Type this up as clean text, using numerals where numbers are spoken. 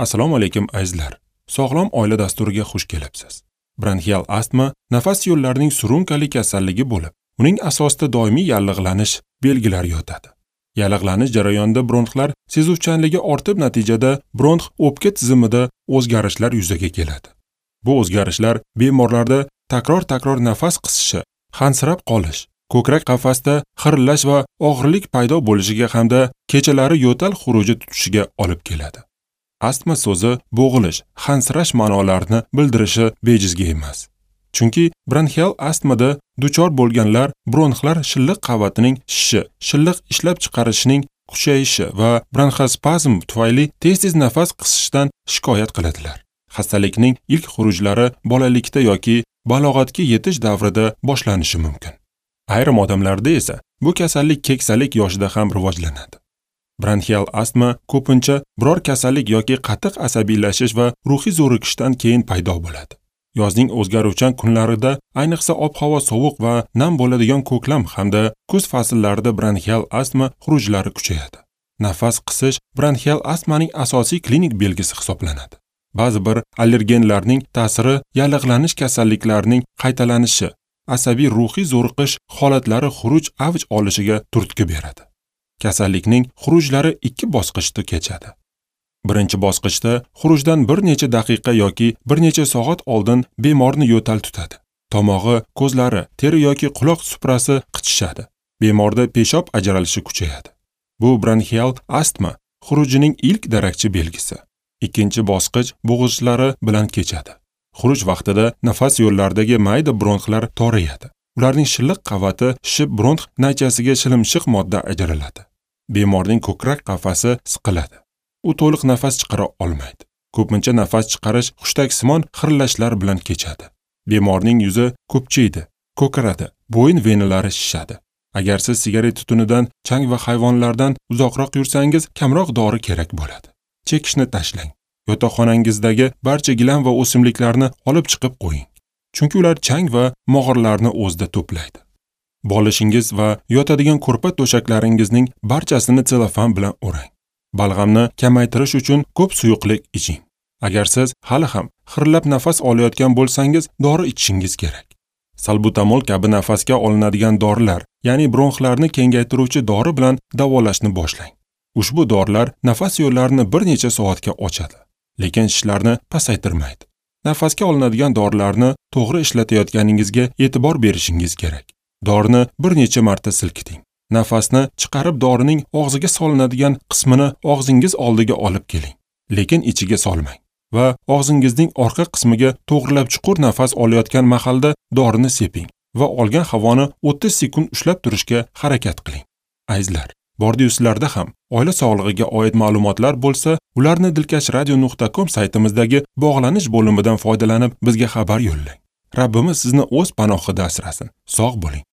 Assalomu alaykum azizlar. Sog'lom oila dasturiga xush kelibsiz. Bronxial astma nafas yo'llarining surunkali kasalligi bo'lib, uning asosida doimiy yallig'lanish belgilari yotadi. Yallig'lanish jarayonida bronxlar sezuvchanligi ortib, natijada bronx o'pka tizimida o'zgarishlar yuzaga keladi. Bu o'zgarishlar bemorlarda takror-takror nafas qisishi, hansirab qolish, ko'krak qafasda xirillash va og'irlik paydo bo'lishiga hamda kechalari yo'tal xuruji tutishiga olib keladi. Astma so'zi bo'g'ilish, hansirash ma'nolarini bildirishi bejizga emas. Chunki bronxial astmada duchor bo'lganlar bronxlar shilliq qavatining shishishi, shilliq ishlab chiqarishining kuchayishi va bronxospazm tufayli tez-tez nafas qisishdan shikoyat qiladilar. Xastalikning ilk xurujlari bolalikda yoki balog'atga yetish davrida boshlanishi mumkin. Ayrim odamlarda esa bu kasallik keksalik yoshida ham rivojlanadi. Bronxial astma ko'pincha biror kasallik yoki qattiq asabiylashish va ruhiy zo'rikishdan keyin paydo bo'ladi. Yozning o'zgaruvchan kunlarida, ayniqsa ob-havo sovuq va nam bo'ladigan ko'klam hamda kuz fasllarida bronxial astma xurujlari kuchayadi. Nafas qisish bronxial astmaning asosiy klinik belgisi hisoblanadi. Ba'zi bir allergenlarning ta'siri yallig'lanish kasalliklarining qaytalanishi, asabiy ruhiy zo'riqish holatlari xuruj avj olishiga turtki beradi. Kasallikning xurujlari ikki bosqichda kechadi. Birinchi bosqichda xurujdan bir necha daqiqa yoki bir necha soat oldin bemorni yo'tal tutadi. Tomog'i, ko'zlari, teri yoki quloq suprasi qichishadi. Bemorda peshob ajralishi kuchayadi. Bu bronxial astma xurujining ilk darakchi belgisi. Ikkinchi bosqich bo'g'izlari bilan kechadi. Xuruj vaqtida nafas yo'llaridagi mayda bronxlar torayadi. Ularning shilliq qavati shishib bronx naychasiga shilimshiq modda ajraladi. Bemorning ko'krak qafasi siqiladi. U to'liq nafas chiqara olmaydi. Ko'pincha nafas chiqarish hushtaksimon xirillashlar bilan kechadi. Bemorning yuzi ko'pchiydi, ko'karadi, bo'yin venalari shishadi. Agar siz sigaret tutunidan, chang va hayvonlardan uzoqroq yursangiz, kamroq dori kerak bo'ladi. Chekishni tashlang. Yotoqxonangizdagi barcha gilam va o'simliklarni olib chiqib qo'ying. Chunki ular chang va mog'orlarni o'zida to'playdi. Bolishingiz va yotadigan ko'rpa to'shaklaringizning barchasini selofan bilan o'rang. Balg'amni kamaytirish uchun ko'p suyuqlik iching. Agar siz hali ham xirillab nafas olayotgan bo'lsangiz, dori ichishingiz kerak. Salbutamol kabi nafasga olinadigan dorilar, ya'ni bronxlarni kengaytiruvchi dori bilan davolashni boshlang. Ushbu dorilar nafas yo'llarini bir necha soatga ochadi, lekin shishlarni pasaytirmaydi. Nafasga olinadigan dorilarni to'g'ri ishlatayotganingizga e'tibor berishingiz kerak. Dorini bir necha marta silkiting. Nafasni chiqarib dorining og'ziga solinadigan qismini og'zingiz oldiga olib keling, lekin ichiga solmang va og'zingizning orqa qismiga to'g'rilab chuqur nafas olayotgan mahalda dorini seping va olgan havoni 30 sekund ushlab turishga harakat qiling. Azizlar, bordi-yuslarda ham oila sog'lig'iga oid ma'lumotlar bo'lsa, ularni dilkashradio.com saytimizdagi bog'lanish bo'limidan foydalanib bizga xabar yo'llang. Rabbimiz sizni o'z panohida asrasin. Sog' bo'ling.